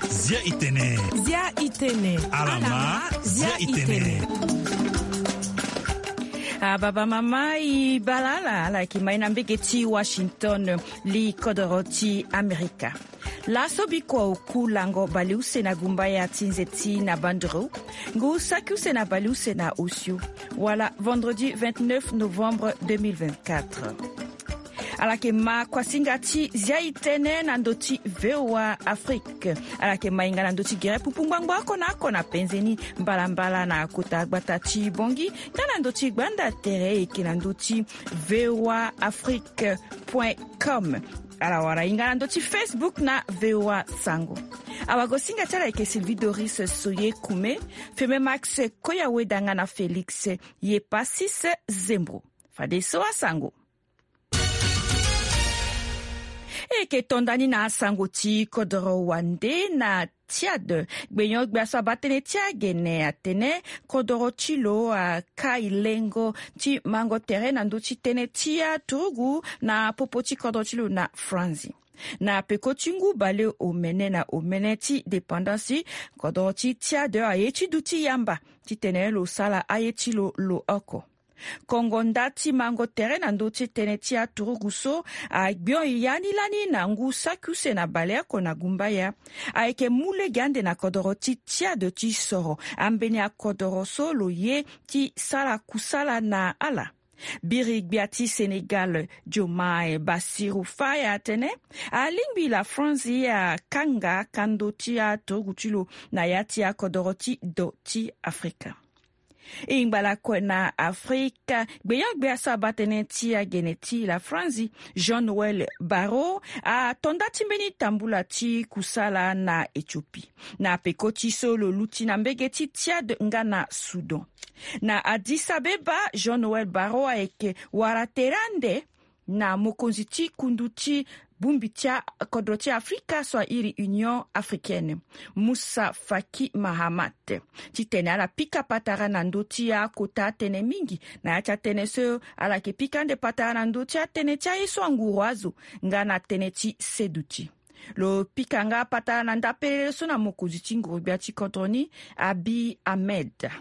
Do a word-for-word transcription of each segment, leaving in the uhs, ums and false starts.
Zia itene. Zia itene. Alama. Zia itene. Ababa mama i balala ala yeke mai na mbege ti Washington, li kodoro ti Amerika. Laso bikua oku lango baleuse na gumbaya ti nze ti na banduru, ngu saki use na baleuse na osio, wala vendredi vingt-neuf novembre deux mille vingt-quatre. Ala yeke ma kuasinga ti zia itene na ndö ti VOA Afrique. Ala yeke mainga na ndö ti gere pupu ngbangbo oko na oko na penze ni, mbalambala na kota gbata ti Bongi, nga na ndö ti gbanda tere eke na ndö ti VOA Afrique point com. Ala wara hinga na ndö ti Facebook na VOA Sango. Awagosinga ti ala eke Sylvie Doris Soye Kume, Feme Max Koyaweda nga na Félix Yepasis Zembro. Fadeso asango. E yeke to nda ni na asango ti kodoro wande na Tchad. Gbenyo-gbia so abaa tënë ti agene atene kodoro ti lo akai lengo ti mango tere na ndö ti tënë ti aturugu na popo ti kodoro ti lo na Franzi. Na peko ti ngu baleomene na omene ti dépendance, kodoro ti Tchad aye ti duti yamba titene lo sara aye ti lo lo oko. Kongo nda ti mango tere na ndö ti tënë ti aturugu so agbion yani lani na ngu saki use na baleoko na gumbaya. Ayeke mu lege ande na kodoro ti Tchad ti soro ambeni akodoro so lo ye ti sara kusala na ala. Biri-gbia ti Sénégal, Diomaye Bassirou Faye atene alingbi la France ye akanga kando ti aturugu ti lo na ya ti akodoro ti do ti Afrika. E ngba lakue na Afrika, gbenyo-gbia so abaa tënë ti agene ti la Franzi, Jean Noël Barrot, ato nda ti mbeni tambula ti kusala na Éthiopie. Na peko ti so lo luti na mbege ti Tchad nga na Soudan. Na Addis Abeba, Jean Noël Barrot ayeke wara tere ande na mokonzi ti kundu ti bongbi ti akodro ti Afrika so airi Union Africaine, Moussa Faki Mahamat, titene ala pika patara na ndö ti akota atënë mingi. Na ya ti atënë so, ala yeke pika ande patara na ndö ti atënë ti aye so anguru azo nga na tënë ti seduti. Lo pika nga patara na ndapelele so na mokonzi ti nguru-gbia ti kodro ni, Abiy Ahmed.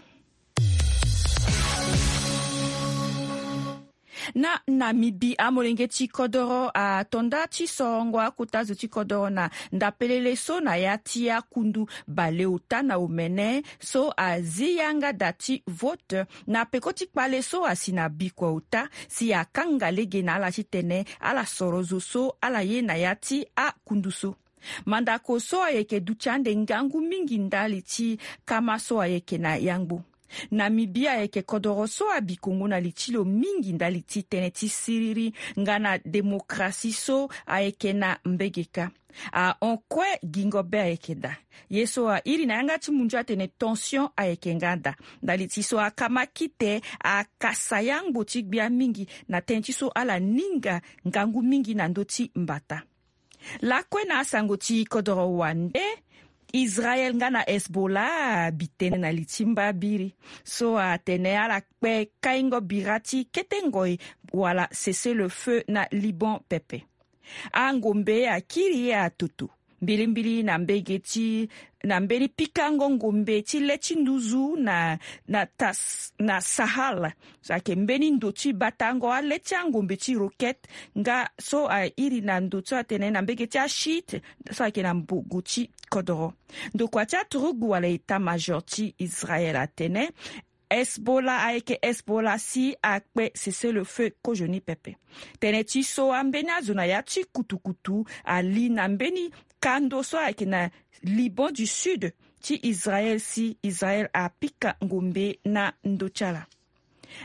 Na Namibie, amolenge ti kodoro ato nda ti sorongo akota zo ti kodoro na ndapelele so na ya ti akundu baleota na omene so azi yanga da ti vote na peko ti kpale so asi na bikua ota si akanga lege na ala titene ala soro zo so ala ye na ya ti akundu so. Mandako so ayeke duti ande ngangu mingi ndali ti kama so ayeke na yangbo. Namibie ayeke kodoro so abi kongo na li ti lo mingi ndali ti tënë ti siriri nga na démocratie so ayeke na mbege kâ. Ahon kue gingo be ayeke daa. Ye so airi na yanga ti munzu atene tension ayeke nga daa. Ndali ti so akama kite akasa yangbo ti gbia mingi na tënë ti so ala ninga ngangu mingi na ndö ti mbata. Lakue na asango ti kodoro wande, Israel nga na Hezbollah abi tënë na li ti mba biri so atene ala kpe kaingo bira ti kete ngoi wala cessez-le-feu na Liban pepe. Angombe akiri ye atoto mbilimbili na mbege ti na mbeni pikango ngombe ti le ti nduzu na, na, tas, na Sahel. So ayeke mbeni ndo ti batango ale ti angombe ti roquette nga so airi na ndo so atene na mbege ti achiite so ayeke na mbogo ti kodoro. Ndokua ti aturugu wala état-major ti Israel atene Hezbollah ayeke Hezbollah si akpe cessez-le-feu kozoni pepe. Tënë ti so ambeni azo na ya ti kutukutu ali na mbeni kando so ayeke na Liban du Sud ti Israel si Israel apika ngombe na ndö ti ala.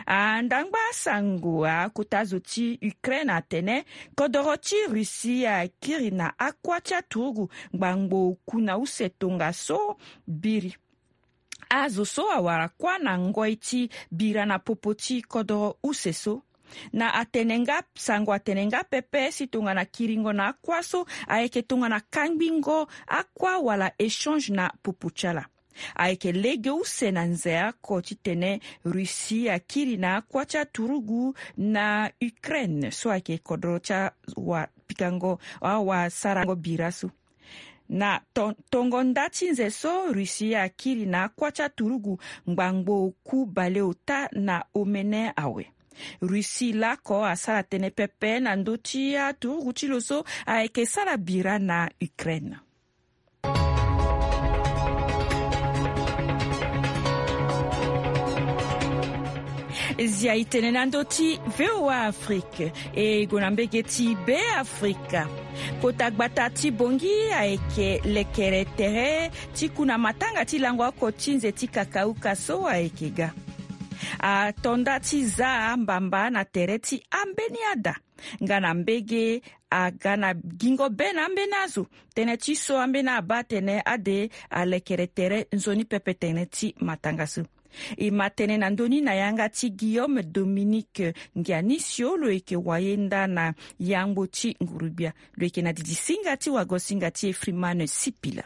Andangba asango akota zo ti Ukraine atene kodoro ti Russie akiri na akua ti aturugu ngbangbo oku na use tongaso biri. Azo so awara kuâ na ngoi ti bira na popo ti kodoro use so. Na atene nga sango atene nga pepe si tongana kiringo na akua so ayeke tongana kangbingo akua wala échange na popo ti ala. Ayeke lege use na nze oko titene Russie akiri na akuâ ti aturugu na Ukraine so ayeke kodro ti awa pikango awa sarango bira so. Na to- tongo nda ti nze so Russie akiri na akuâ ti aturugu ngbangbo oku baleota na omene awe. Russie lako asara tënë pepe na ndö ti aturugu ti lo so ayeke sara bira na Ukraine. Zia e tene na ndö ti V O A Afrique e gue na mbege ti Beafrika. Kota gbata ti Bangui ayeke lekere tere ti ku na matanga ti lango oko ti nze ti kakauka so ayeke ga. Ato nda ti za mbamba na tere ti ambeni ada nga na mbege aga na gingo be na ambeni azo. Tënë ti so ambeni abaa atene ade alekere tere nzoni pepe tënë ti matanga so. E ma tënë na ndö ni na yanga ti Guillaume Dominique Ngianisio, lo yeke wayenda na yangbo ti nguru-gbia. Lo yeke na didisinga ti wagosinga ti e Freeman Sipila.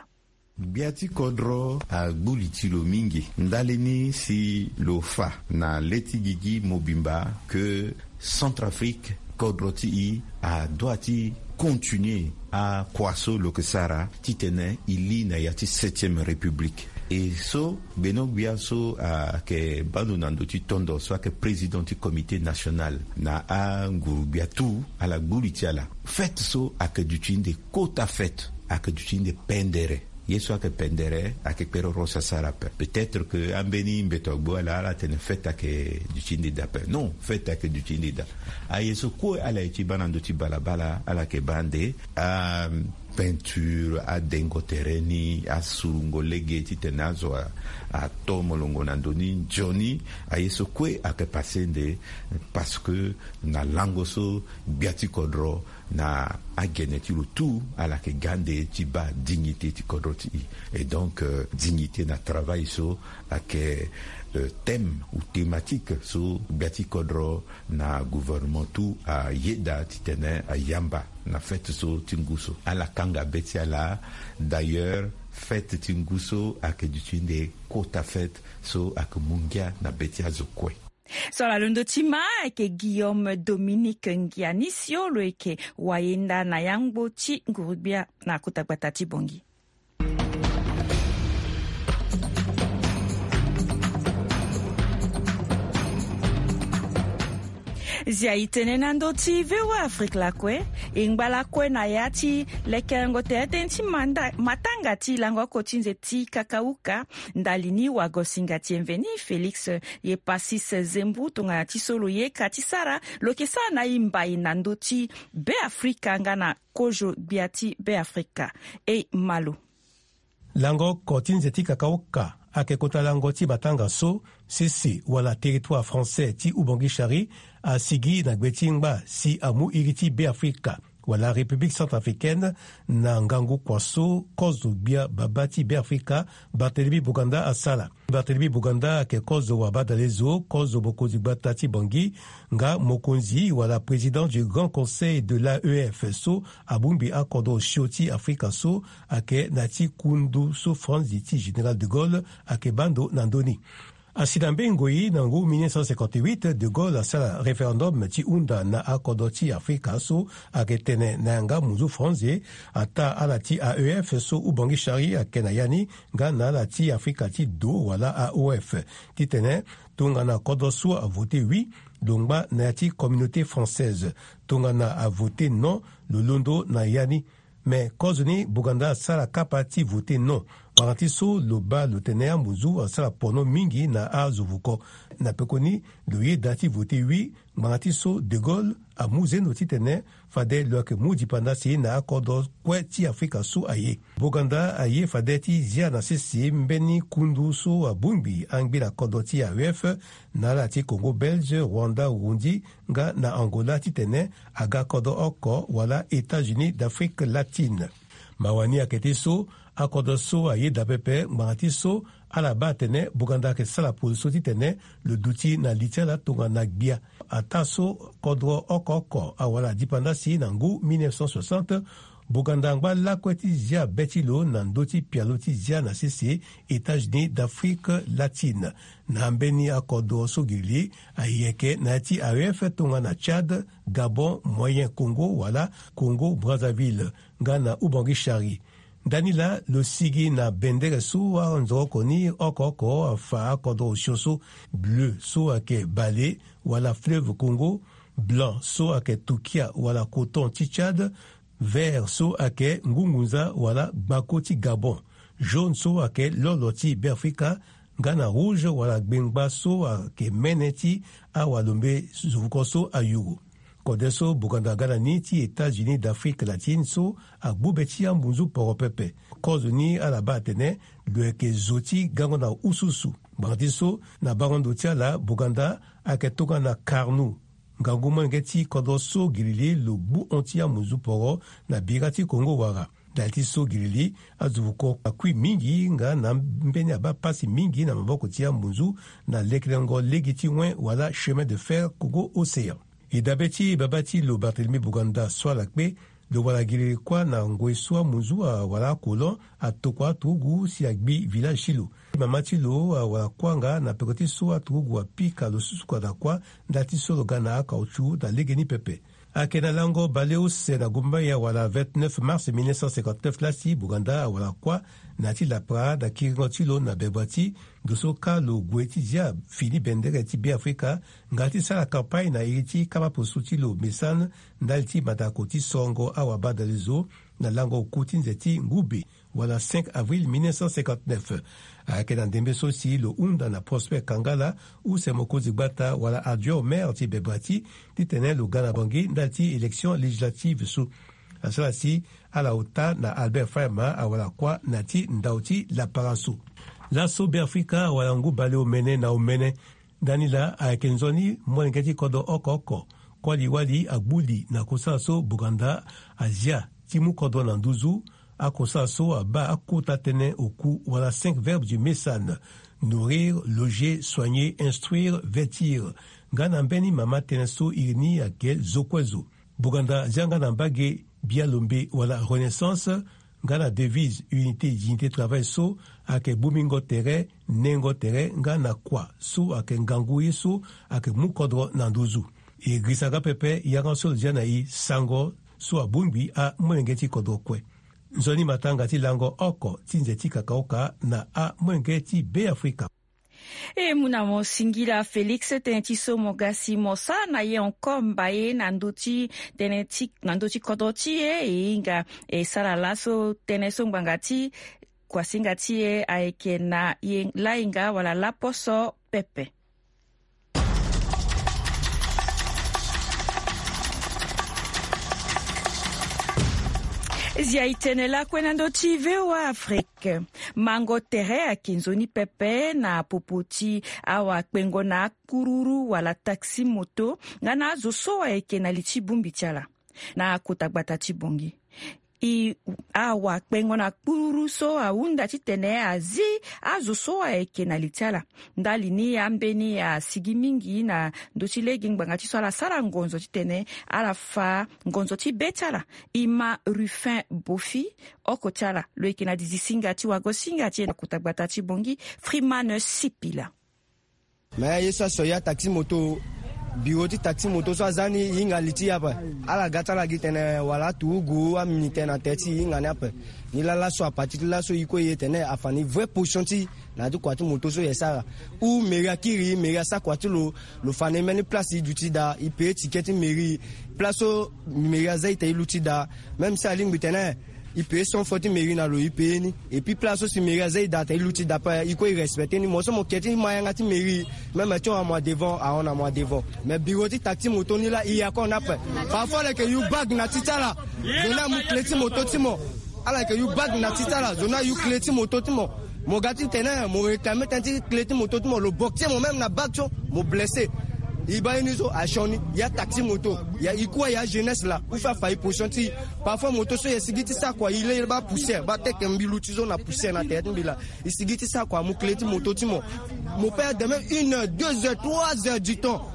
Gbia ti kodro agbu li ti lo mingi ndali ni si lo fa na le ti gigi mobimba ke Centrafrique, kodro ti e adoit ti continuer akua so lo yeke sara titene e li na ya ti septième république. E so gbeno-gbia so ayeke baa ndo na ndö ti tondo so ayeke président ti comité national na anguru-gbia tout ala gbu li ti ala. Fête so ayeke duti nde kota fête, ayeke duti nde pendere. Ye so ayeke pendere ayeke kpere oro si asara ape. Peut-être que ambeni mbeto agbu ala ala tene fête ayeke duti nde dape. Non, fête ayeke duti nde da. Aye so kue ala ye ti baa na ndö ti balabala ala yeke baa nde a peinture, adengo tere ni, asurungo lege titene azo a- ato molongo na ndö ni nzoni. Aye so kue ayeke passe nde, parce que na lango so gbia ti kodro na agene ti lo tout ala yeke ga nde ti baa dignité ti kodro ti e. Et donc euh, dignité na travail so ayeke euh, thème ou thématique so gbia ti kodro na gouvernement tout ayeda titene ayamba na fête so ti ngu so. Ala kanga be ti ala. D'ailleurs, fête ti ngu so ayeke duti nde kota fête so ayeke mu ngia na be ti azo kue. So ala londo ti ma ayeke Guillaume Dominique Ngianisio, lo yeke wayenda na yangbo ti nguru-gbia na kota gbata ti Bangui. Zia e tene na ndö ti V O A Afrique lakue. E ngba lakue na ya ti lekerengo tere tënë ti manda- matanga ti lango oko ti nze ti kakauka. Ndali ni wagosinga ti e mveni Félix Yepacis Zembu tongana ti so lo yeka ti sara, lo yeke sara na e mbai na ndö ti Beafrika nga na kozo gbia ti Beafrika. E ma lo. Lango oko ti nze ti kakauka ayeke kota lango ti matanga so sese wala territoire français ti Oubangui Chari asigi na gbe ti ngba si amu iri ti Beafrika wala République centrafricaine na ngangu kua so kozo gbia babâ ti Beafrika Barthélemy Boganda asara. Barthélemy Boganda ayeke kozo wabadalezo, kozo mokonzi gbata ti Bangui, nga mokonzi wala président du Grand Conseil de l'A E F so abongbi akodro osio ti Afrika so ayeke na ya ti kundu so franzi ti Général de Gaulle ayeke baa ndo na ndö ni. Asi na mbeni ngoi na ngu mille neuf cent cinquante-huit, de Gaulle asara référendum ti hunda na akodro ti Afrika so ayeke tene na yanga munzu franzi, ataa ala ti A E F so Oubangui Chari ayeke na ya ni, nga na ala ti Afrika ti do wala A O F, titene tongana kodro so avote oui, lo ngba na ya ti communauté française. Tongana avote non, lo londo na ya ni. Me kozoni Boganda asara kapa ti vote non. Ngbanga ti so lo baa lo tene amunzu asara pono mingi na azo vuko. Na pekoni lo yeda ti vote oui, ngbanga ti so De Gaulle amu zendo titene fade lo yeke mu dipanda si na akodro kue ti Afrika so aye. Boganda aye fade ti zia na sese mbeni kundu so abongbi angbila kodro ti A E F na ala ti Congo Belge, Rwanda, Burundi, nga na Angola titene aga kodro oko wala États-Unis d'Afrique latine. Mawa ni ayeke ti so Akodro so ayeda pepe ngbanga ti so ala baa atene Boganda ayeke sara polo so titene lo duti na li ti ala tongana gbia. Ataa so kodro oko oko awara dipanda si na ngu mille neuf cent soixante, Boganda angba lakue ti zia be ti lo na ndö ti pialo ti zia na sese États-Unis d'Afrique latine. Na ambeni akodro so girili ayeke na ya ti A E F tongana Tchad, Gabon, Moyen Congo wala Congo Brazzaville nga na Ubangui Chari. Ndani laa lo sigi na bendere so anzoroko ni oko oko afa akodro osio so: bleu so ayeke bale wala fleuve Congo, blanc so ayeke tukia wala coton ti Tchad, vert so ayeke ngungunza wala gbako ti Gabon, jaune so ayeke lolo ti Beafrika, nga na rouge wala gbengba so ayeke mene ti awalombe zuvukon so ayuru. Kode so Boganda aga na ni ti États-Unis d'Afrique latine so agbu be ti ambunzu poro pepe. Kozo ni ala baa atene lo yeke zo ti gango na ususu. Ngbanga ti so na bango ndo ti ala, Boganda ayeke tongana karnu. Ngangu molenge ti kodro so girili lo gbu hon ti ambunzu poro na bira ti Congo wara. Ndali ti so girili, azuvukon akui mingi nga na ambeni abaa pasi mingi na maboko ti ambunzu na lekelengo lege ti wen wala chemin de fer Congo Océan. E dabe ti baba ti lo Barthélemy Boganda so ala kpe, lo wara giriri kuâ na ngoi so amunzu awara akolon atokua aturugu si agbi village ti lo. Mama ti lo awara kuâ nga na peko ti so aturugu apika lo susuka na kuâ ndali ti so lo ga na akaoutchou na legeni pepe. Ayeke na lango baleuse na gumbaya wala vingt-neuf mars mille neuf cent cinquante-neuf laa si Boganda awara kuâ na ya ti lapara na kiringo ti lo na Bebrati, ndo so kâ lo gue ti zia fini bendere ti Beafrika nga ti sara kampagne na iri ti kapa poso ti lo Messane ndali ti mandako ti sorongo awabadalezo na lango oku ti nze ti ngube wala cinq avril mille neuf cent cinquante-neuf. Ayeke na ndembe so si lo hunda na Prosper Kangala, use mokonzi gbata wala adjoint au maire ti Bebrati, titene lo ga na Bangui ndali ti élection législative so. Asara si ala ota na Albert Faima awara kuâ na ya ti ndau ti lapara so. Laso Beafrika awara ngu baleomene na omene. Ndani laa ayeke nzoni molenge ti kodro oko oko. Kuali wali agbu li na kosala so Boganda azia ti mu kodro na nduzu. Akosala so abaa akota tënë oku wala cinq verbes du Messane: nourrir, loger, soigner, instruire, vêtir. Nga na mbeni mama tënë so iri ni ayeke zo kue zo. Boganda azia nga na mbage bia lombe wala Renaissance, nga na devise unité, dignité, travail so ayeke bongbingo tere, nengo tere nga na kua so ayeke ngangu ye so ayeke mu kodro na nduzu. E girisa nga pepe yanga so lo zia na e sango so abongbi amolenge ti kodro kue. Nzoni matanga ti lango oko ti nze ti kakaoka na amolenge ti Beafrika. E mu na mo singila Félix, tënë ti so mo ga si mo sara na ye encore mbaye na ndö ti tënë ti, na ndö ti kodro ti e. E hinga e sara laso tënë so ngbanga ti kuasinga ti e ayeke na ye lahinga wala laposo pepe. Zia e tene lakue na ndö ti V O A Afrique. Mango tere ayeke nzoni pepe na popo ti awakpengo na akpururu wala taxi moto nga na azo so ayeke na li ti bongbi ti ala na kota gbata ti Bangui. E, awakpengo na kpururu so ahunda titene azi azo so ayeke na li ti ala. Ndali ni ambeni asigi mingi na ndö ti lege ngbanga ti so ala sara ngonzo titene ala fa ngonzo ti be ti ala. E ma Ruffin Bofi, oko ti ala lo yeke na dizi singa ti wago singa ti e na kota gbata ti Bangui, Freeman Sipila. Me ye so aso ya taxi moto, biro ti taxi moto so aza ni e hinga li ti e ape. Ala ga ti ala gi tene wala aturugu amini tënë na tere ti e hinga ni ape. Ni laa laso, à partir ti laso, e kue e ye tene afa ni vraie position ti e na ya ti kua ti moto so e sara. Ou mairie akiri, mairie asara kua ti lo, lo fa na e mbeni place e duti daa, e paye ticket ti mairie. Place so mairie aza e tene e luti daa. Même si alingbi tene e paye cent francs ti mairie na lo, e paye ni. Et puis place so si mairie aza e daa tene e luti daa ape, e kue e respecte ni. Mo so mo ke ti ma yanga ti mairie, même ti hon na mo na devant, ahon na mo na devant. Mais biro ti taxi moto ni laa e ya kue na ape. Parfois ala yeke yu bag na ti ti ala. Zo ni amu clé ti moto ti mo. Ala yeke yu bag na ti ti ala, zo ni ayu clé ti moto ti mo. Mo ga ti tene mo réclame tënë ti clé ti moto ti mo, lo boxer mo même na bag so, mo blessé. E baa ye ni so asioni ya taxi moto ya e kue ya jeunesse laa. Ou fait afa e position ti e. Parfois moto so e sigi ti sara kua e le baa poussière baa teke mbi luti so na poussière na tere ti mbi laa. E sigi ti sara kua mo clé ti moto ti mo. Mo peut demain une heure, deux heures, trois heures du temps.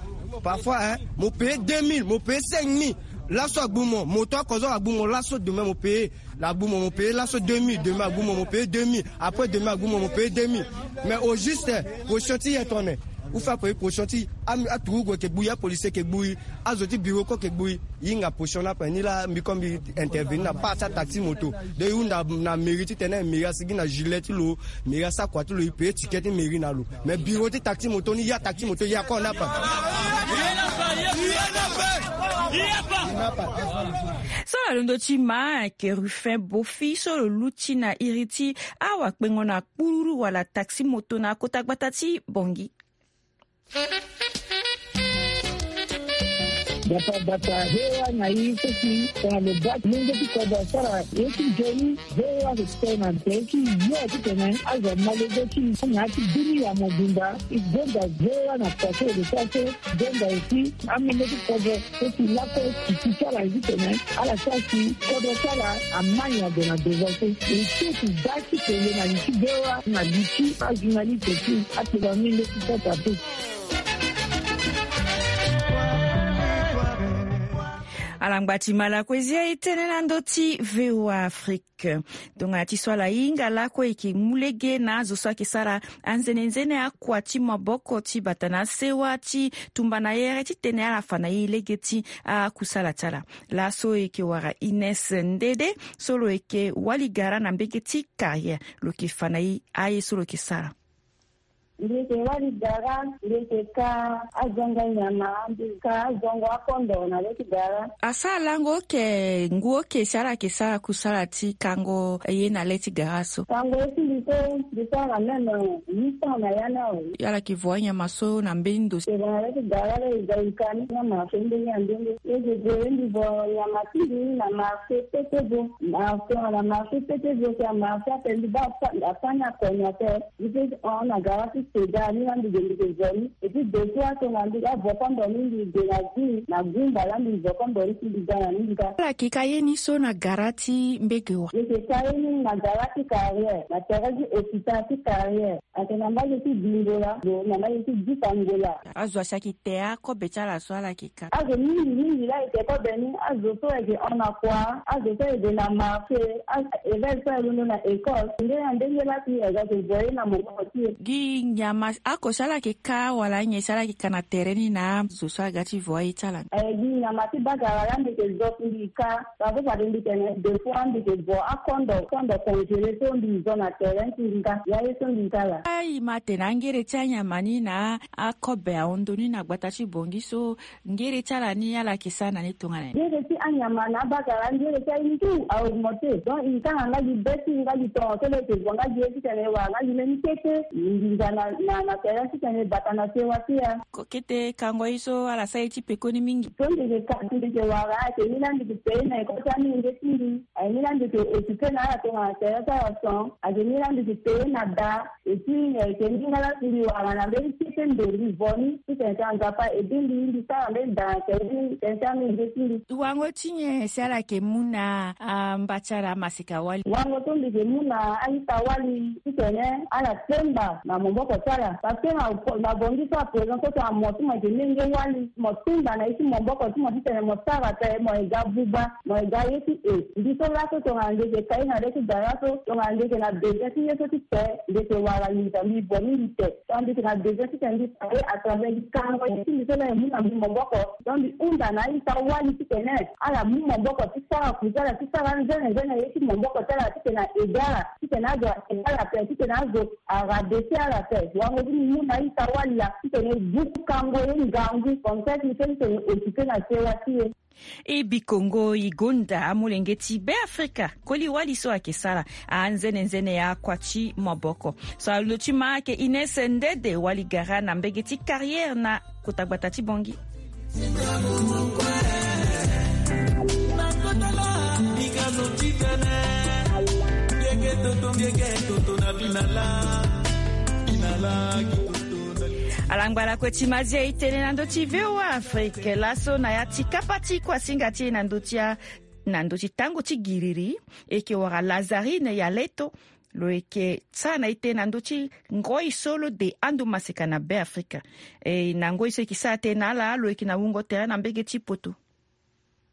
Parfois hein, mo paye deux mille, mo paye cinq mille. Laso agbu mo moto oko so agbu mo laso demain mo paye. Agbu mo mo paye laso deux mille, demain agbu mo mo paye deux mille, après demain agbu mo mo paye deux mille. Mais au juste position ti e tongana ou fait apaye position ti e. Aturugu eke gbu e, apolisi eke gbu e, azo ti bureau ko eke gbu e. E hinga position ni ape ni laa mbi ko mbi intervenir na part ti ataxi moto. Donc e hunda na mairie titene mairie asigi na gilet ti lo. Mairie asara kua ti lo e paye ticket ti mairie na lo. Mais bureau ti taxi moto ni ya taxi moto ya ko na ape. So na londo ti ma ayeke Ruffin Bofi so lo luti na iri ti awakpengo na kpururu wala taxi moto na kota gbata ti Bangui. Gbata gbata V O A na e so si tongana lo baa ti lenge ti kodro asara ye ti nzoni. V O A ayeke tene na tere ti yo titene azo amalege ti e na ya ti dunia mobimba. E gonda V O A na kua so e lo sara so. Gonda aussi amolenge ti kodro so si lakue ti ti ti ala ye titene ala sara si kodro ti ala ama nyen ade na devant so. E so ti da ti tene na li ti V O A na li ti ajournaliste ti atene amolenge ti kota so. Alangba ti ma lakue zia e tene na ndö ti V O A Afrique. Tongana ti so ala hinga lakue e yeke mu lege na azo so ayeke sara anzenenzene akua ti maboko ti bata na asewa ti tumba na yere titene ala fa na e lege ti akusala ti ala. Laso e yeke wara Ines Ndede so lo yeke wali gara na mbege ti carrière. Lo yeke fa na e aye so lo yeke sara. Mbi yeke wali gara, mbi yeke ka azongo nyama, mbi ka azongo akondo na le ti gara. Asara lango oke ngu oke si ala yeke sara kusala ti kango ye na le ti gara so? Kango ye ti mbi so mbi sara même huit cents na ya ni awe. Ala yeke vo anyama so na mbeni ndo? Tongana le ti gara la e za e ka ni na marché ndenge na ndenge. Ye mbi vo ye mbi vo nyama ti mbi na marché pete vo. Marché na marché pete vo, si amarché ape mbi baa afa ni akonya ape. Mbi peut hon na gara ti seda ni laa mbi ge mbi ke zo ni. Et puis deux fois tongana mbi ga vo kondo ni mbi ge na zi na gumba laa mbi vo kondo ni si mbi ga na ni mbi ga. Ala yeke ka ye ni so na gara ti mbege wa? Mbi yeke ka ye ni na gara ti carrière na tere ti hôpital ti carrière. Ayeke na mbage ti Bingola, na mbage ti Dita Ngola. Azo asi ayeke te akobe ti ala so ala yeke ka? Azo mingi mingi laa e te kobe ni. Azo so ayeke hon na kua, azo so ayeke na marché, éveil so aye londo na école, ndenge na ndenge laa si e ga yeke voye na maboko ti e. Gi nyama oko si ala yeke ka wala nyen si ala yeke ka na tere ni na azo so aga ti voye ti ala? Eh, gi nyama ti bagara laa mbi yeke zo si mbi ka. Parfois fade mbi tene deux fois mbi yeke vo akondo, kondo congelé so mbi zo na tere ti mbi ka. Ya ye so mbi ka laa. Ayi ma atene angere ti anyama ni na akobe ahon ndo ni na gbata ti Bongi so, ngere ti ala ni ala yeke sara na ni tongana nyen? Ngere ti anyama na abakara, ngere ti aye ni tout a augmenté. Donc e ka na nga gi be ti nga gi tongo so lo yeke vo nga gi ye titene e wara nga gi mbeni kete nginza na, na, na tere titene e bata na sewa ti e. Ko kete kango ye so ala sara ye ti pekoni mingi. So mbi yeke ka, mbi yeke wara ayeke ni laa mbi yeke peye na eko ti amolenge ti mbi. Ayeke ni laa mbi yeke occupé na ala tongana tere ti ala son. Ayeke ni laa mbi yeke peye na da. Et puis, eh, ayeke ni nga laa si mbi wara na mbeni kete ndo mbi vo ni titene ti Nzapa aidé mbi, mbi sara mbeni da na tere ti tene ti amolenge ti mbi. Wango ti nyen si ala yeke mu na, ah, mba ti ala amaseka wali? Wango so mbi yeke mu na a-ita wali titene ala semba na maboko ti ala. Parce que na, na Bongi so à présent so tongana mo ti mo yeke lenge wali, mo semba na ye ti maboko ti mo titene mo sara ape, mo ye ga buba, mo ye ga ye ti e. Mbi so laso tongana mbi yeke ka ye na le ti gara so, tongana mbi yeke na besoin ti ye so ti te, mbi yeke wara nginza mbi vo ni mbi te. Donc mbi yeke na besoin titene mbi fa ye à travers gi kango ye ti mbi so laa e mu na mbi maboko. Donc mbi hunda na a-ita wali titene ala mu maboko ti sara kusala, ti sara nzene nzene ye ti maboko ti ala titene a aidé ala, titene azo a aidé ala ape, titene azo a rabaisser ala ape. Wango ti mbi mu na a-ita wali laa titene e buku kango ye ngangu, comme ça ti e peut titene e occupé na sewa ti e. E bikongo e gonda amolenge ti Beafrika, koli wali so ayeke sara anzene nzene ya kua ti maboko. So alondo ti ma ayeke Ines Ndede, wali gara na mbege ti Carrière na kota gbata ti Bongi. Alangba ala kue ti mazia e tene na ndö ti V O A Afrique laso na ya ti kapa ti kuasinga ti e na ndö ti a na ndö ti tango ti giriri. E yeke wara Lazarine ya leto. Lo yeke sara na e tene na ndö ti ngoi so lo de ando maseka na Be Afrika. E na ngoi so e yeke sara tënë na ala lo yeke na wungo tere na mbege ti poto.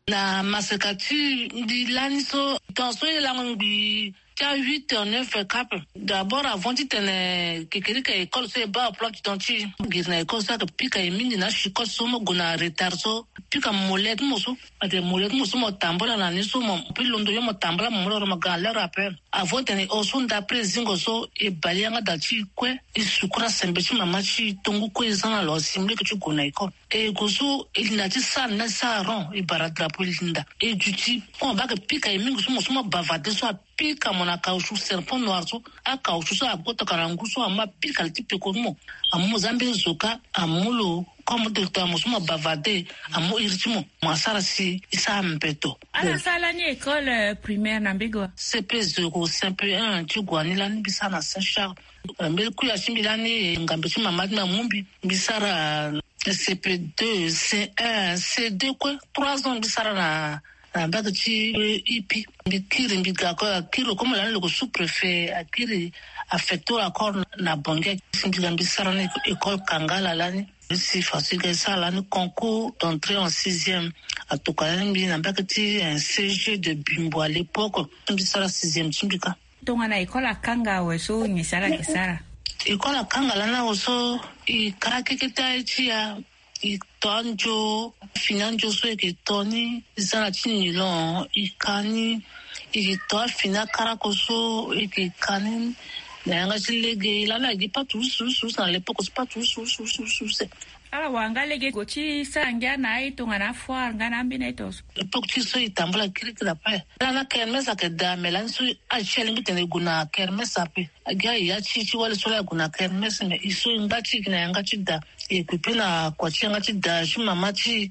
Na maseka ti mbi lani so temps so e lango ngbii ti a huit heures neuf heures cap. D'abord avant ti tene kekerika école so e baa plan ti temps ti giri na école so ayeke pika e mingi na chicote so mo gue na retard so pika molette mo so. Ate molette mo so mo tambula na ni so mo pi londo yo mo tambula mo moloro mo ga l'heure après. Avant tene e hon so ndapre zingo so e bali yanga da ti e kue. E sukura sembe ti mama ti e tongu kue e za na lo asimbleke ti gue na école. E gue so e linda ti sara ni na ti sara rond e bara drapeau e linda e duti. Koma baa ayeke pika e mingi so mo so mo bavarde so apika mo na caoutchouc serpent noir so. Acaoutchouc so agotaka na ngu so amu apika li ti peko ni mo. Amu mo za mbeni zoka amu lo. Comme directeur mo so mo bavarde amu iri ti mo. Mo asara si e sara mbeto. Ala sara lani école primaire na mbege wa? C P zéro, C P un ti gue ni lani mbi sara na Saint Charles. Mbeni kuya ti mbi lani ngambe ti mama ti mbi amu mbi mbi sara C P deux, C un, C deux kue. Trois ans mbi sara na na mbage ti ipi. Mbi kiri mbi ga kue akiri lo comme lani lo yeke sous préfet akiri affecté lo encore na bonge. Si mbi ga mbi sara na école kangala lani. Mbi si faso e ga e sara lani concours d'entrée en sixième. Atokua lani mbi na mbage ti C G de Bimbo à l'époque. Mbi sara sixième ti mbi kâ. Tongana école akanga awe so nyen si ala yeke sara? École akanga lani awe so e kara keke ti aye ti ya. E to andio fini andio so e yeke to ni e za na ti nilon e ka ni. E yeke to afini akarako so e yeke ka ni. Na yanga ti lege lani agi patu usu usu usu na l'époque so patu usu usu usu usu use. Ala wara nga lege gue ti sara ngia na aye tongana afoire nga na ambeni aye tongaso. Époque ti so e tambula kirikiri après. Lani akermes ayeke daa me lani so aye ti alingbi tene e gue na kermes ape. Agi aye ya ti e ti wali so laa e gue na kermes me e so e ngba ti e gi na yanga ti daa. E yeke pe na kua ti yanga ti daa ti mama ti e.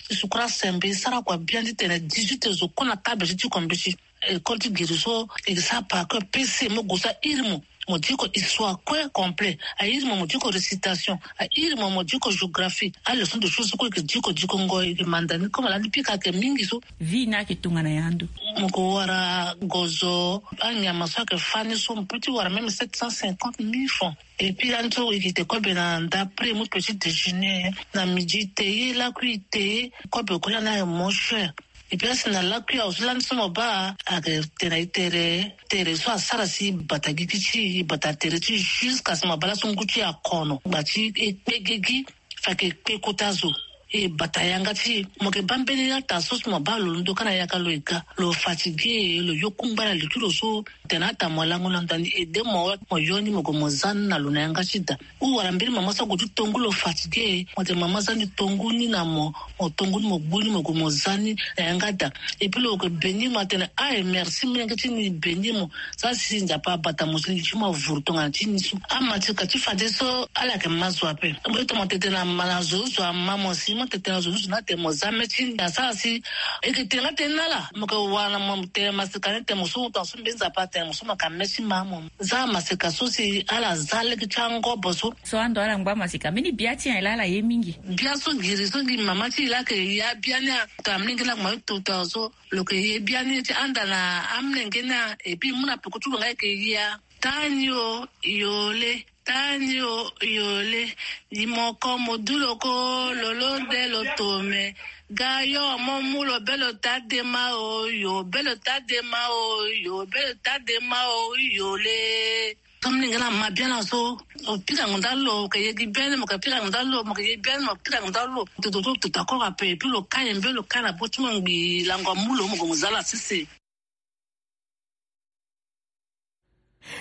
E sukura sembe e sara kua biani ti tene dix-huit heures zo kue na table ti ti kombeti. École ti giri so e sara par cœur P C mo gue so airi mo. Mo diko histoire kue complet airi mo mo diko récitation airi mo mo diko géographie. Aleçon de choses so kue e yeke diko diko ngo e yeke manda ni comme lani pika ayeke mingi so. Vie ni ayeke tongana ya ndo? Mo yeke wara gozo anyama so ayeke fani so mo peut ti wara même sept cent cinquante mille francs. Et puis lani so e yeke te kobe na ndapre mo petit déjeuner na midi te ye lakui te ye. Kobe kue lani ayeke mo cher. Et puis asi na lakui awe so lani so mo baa ayeke tene na e tere tere so asara si e bata gigi ti e e bata tere ti e jusqu'à si mo baa laso ngu ti e akono ngba ti e kpe gigi. Fa ayeke kpe kota zo e bata yanga ti e. Mo yeke baa mbeni ata so si mo baa lo londo kâ na yaka lo e ga lo fatigué lo yo kungba na li ti lo so. Tene ata mo lango na ndani aidé mo wala mo yo ni mo gue mo za ni na lo na yanga ti da. Ou wala mbeni mama so ague ti tongu lo fatigué mo tene mama za ni tongu ni na mo. Mo tongu ni mo gbu ni mo gue mo za ni na yanga da. Et puis lo yeke béni mo atene aye merci molenge ti ni béni mo. Za si nzapa abata mo si li ti mo avuru tongana ti ni so. Amatika ti fadeso ala yeke ma zo ape. Mo ita mo tete na ma na zo zo ama mo si mo tete na zo zo na tene mo za me ti ni asara si. E yeke tene nga tene na ala mo yeke wara na mo tene masika ni tene mo so mo tongaso mbeni nzapa atene mo so mo yeke ame ti ma mo. Za masika so si ala za lege ti angobo so. So ando ala ngba masika mbeni bia ti nyen laa ala ye mingi? Bia so giri so gi mama ti e laa ayeke ya bia ni a. Tongana molenge laa ayeke ma ye tota so lo yeke ye bia ni ti anda na amolenge ni a. Et puis mu na peko ti lo nga e yeke ya. Tani o yole. Tani o yole. Ni moko mo du lo ko lo lo de lo tome. Ga yo mo mu lo be lo ta dema o yo be lo ta dema o yo be lo ta dema o yole. Ka mlenge na ma biani aso. Mo pika ngonda lo mo ka yegi biani mo ka pika ngonda lo mo ka yegi biani mo pika ngonda lo. Toto toto tako ka pe epi lo ka yembe lo ka na bo ti mo ngbi lango amu lo mo gue mo za la sese.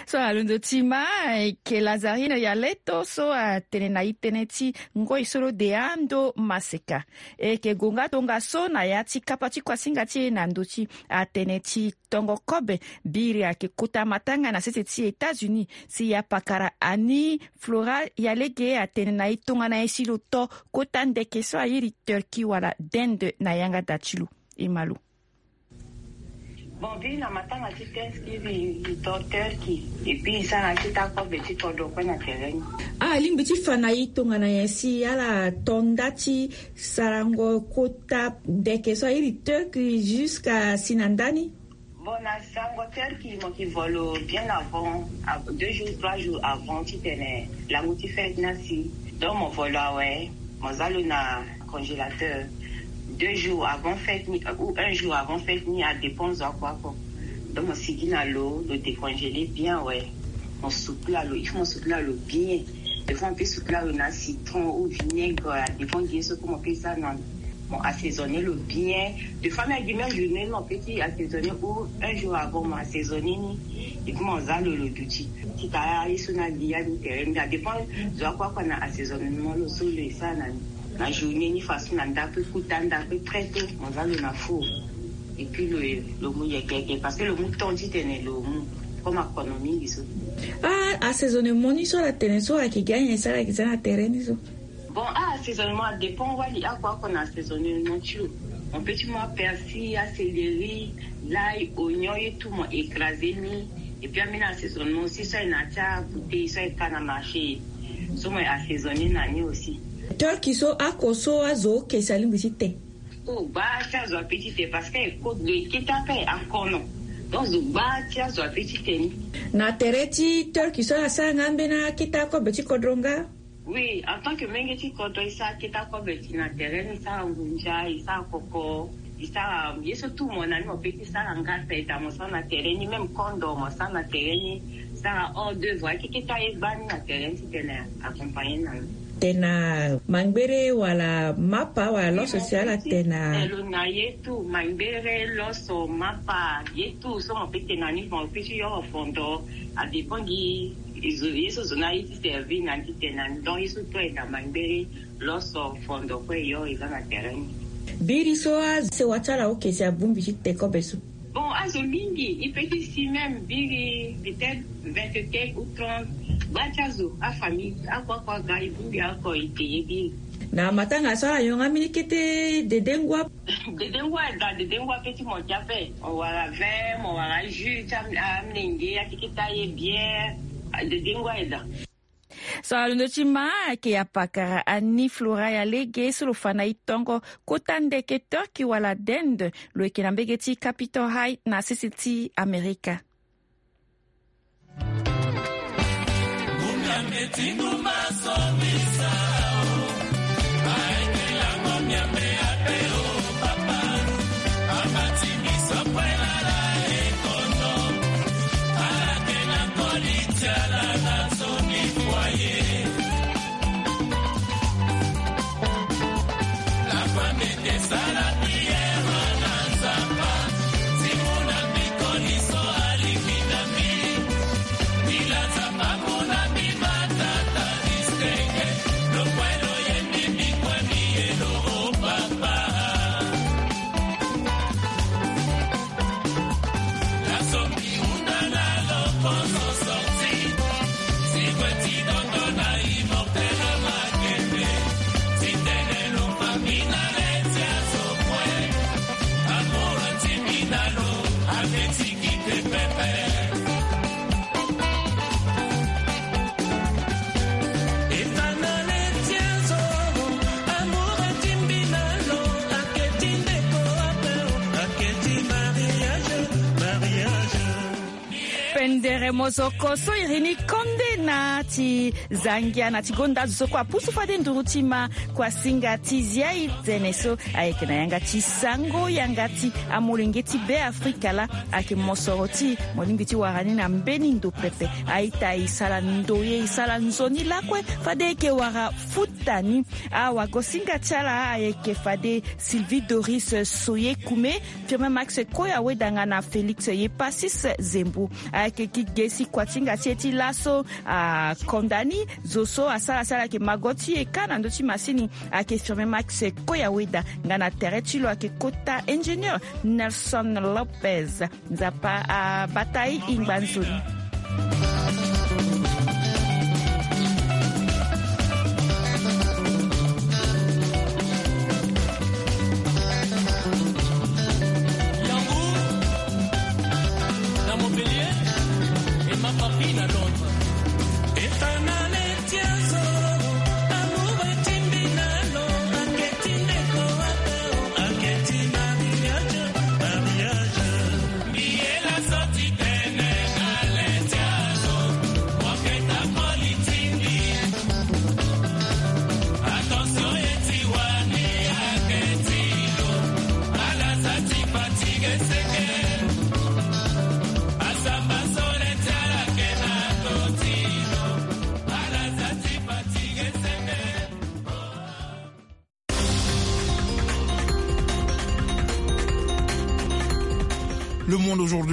So alondo ti ma eke lazarine ya leto so atene na itene ti ngoi so lo de ando maseka. Eke gonga tongaso na ya ti kapa ti kuasinga ti e na ndö ti atene ti tongo kobe. Biri ayeke kota matanga na sese ti États-Unis si ya pakara ani flora ya lege atene na e tongana e si lo to kota ndeke so airi Turquie wala d'Inde na yanga da ti lo. E ma lo. Bon, biri na matanga ti Thanksgiving, e to Turkey, et puis e sara ti ta kobe ti kodro kue na tere ni. Ah, alingbi ti fa na e tongana nyen si ala to nda ti sarango kota ndeke so airi Turkey jusqu'à si na ndani? Bon, na sarango Turkey, mo ki volo bien avant, av-, deux jours, trois jours avant, titene langu ti fête ni asi. Donc mo volo awe, mo za lo na congélateur. Deux jours avant fête ni, euh, ou un jour avant fête ni, adépend zo akua oko. Donc mo sigi na lo, lo décongélé bien, ouais. Mo sukula lo, il faut mo sukula lo bien. Des fois mo peut sukula lo na citron ou vinaigre, adépend gi ye so kue mo peut sara na. Mo assaisonné lo bien. Des fois même gi même journée ni mo peut ti assaisonné ou un jour avant mo assaisonné ni. Et puis mo za lo, lo duti. Ti ka ye so na li ya ni tere ni, adépend zo akua kua na assaisonnement lo so lo e sara na ni. Na journée ni façon na ndako, kota ndako très tôt, mo za lo na four. Et puis lo, lo mu yeke yeke, parce que lo mu temps titene lo mu. Comme akono mingi so. Ah, assaisonnement ni so ala tene so ayeke gi anyen so ala yeke za na tere ni so? Bon, ah, assaisonnement adépend, wali akua oko na assaisonnement ti lo. Mo peut ti mu apersil, acéleri, l'ail, oignon, ye tout mo écrasé ni. Et puis ambeni assaisonnement aussi so aye na ti abouteille so aye ka na marché. So mo assaisonné na ni aussi. Turkey so, oko so azo oke si alingbi ti te? Oh, gba ti azo ape ti te parce que e kota, lo e kete ape akono. Donc zo gba ti azo ape ti te ni. Na tere ti Turkey so ala sara nga ambeni akete akobe ti kodro nga? Oui, en tant que menge ti kodro, e sara akete akobe ti na tere ni, e sara ngunza, e sara koko, e sara ye so tout mo na ni mo peut ti sara nga, peda mo sara na tere ni, même kondo mo sara na tere ni, e sara hors d'œuvre, akeketa ye gba ni na tere ni titene accompagné na ni. Tena mangbere wala mapa wala loso si ala tena? Telo na ye tout, mangbere, loso, mapa, ye tout so mo peut tena ni, mo peut ti yoro fondo, adépend gi ye so zo na ye ti servir na ni titene na ni. Donc ye so tout aye na mangbere, loso, fondo kue e yoro e za na tere ni. Biri so asewa ti ala oke si abongbi ti te kobe so? Bon, azo mingi, e peut ti si même biri peut-être vingt-quatre ou trente. Gba ti azo, afamille, akua kua ga e bongbi oko e te ye biri. Na matanga so ala yonga mbeni kete dedengua? Dedengua eda, dedengua peut ti mo ti ape. Mo wara vin, mo wara jus ti am-, amlenge, akeketa ye bien. Dedengua eda. So alondo ti ma ayeke apakara Annie Flora ya lege so lo fa na e tongo kota ndeke Turkey wala Inde, lo yeke na mbege ti Capitol Hill na sese ti Amerika. Pendere mozoko so iri ni konde na ti zangia na ti gonda zo so kue apusu fade nduru ti ma kue asinga ti zia e tene so ayeke na yanga ti sango yanga ti amolenge ti Beafrika laa. Ayeke mosoro ti mo lingbi ti wara ni na mbeni ndo pepe. A-ita e sara ndoye e sara nzoni lakue fade e yeke wara futa ni. Awagosinga ti ala ayeke fade Sylvie Doris Soyekume, Firmin Max Koyaweda nga na Félix Yepasis Zembo. Ayeke gi ge si kua ti hinga ti e ti laso akonda ni. Zo so asara si ala yeke mago ti e kâ na ndö ti masini ayeke Firmin Max Koyaweda nga na tere ti lo ayeke kota ingénieur Nelson Lopez. Nzapa abata e, e ngba nzoni. Le monde aujourd'hui.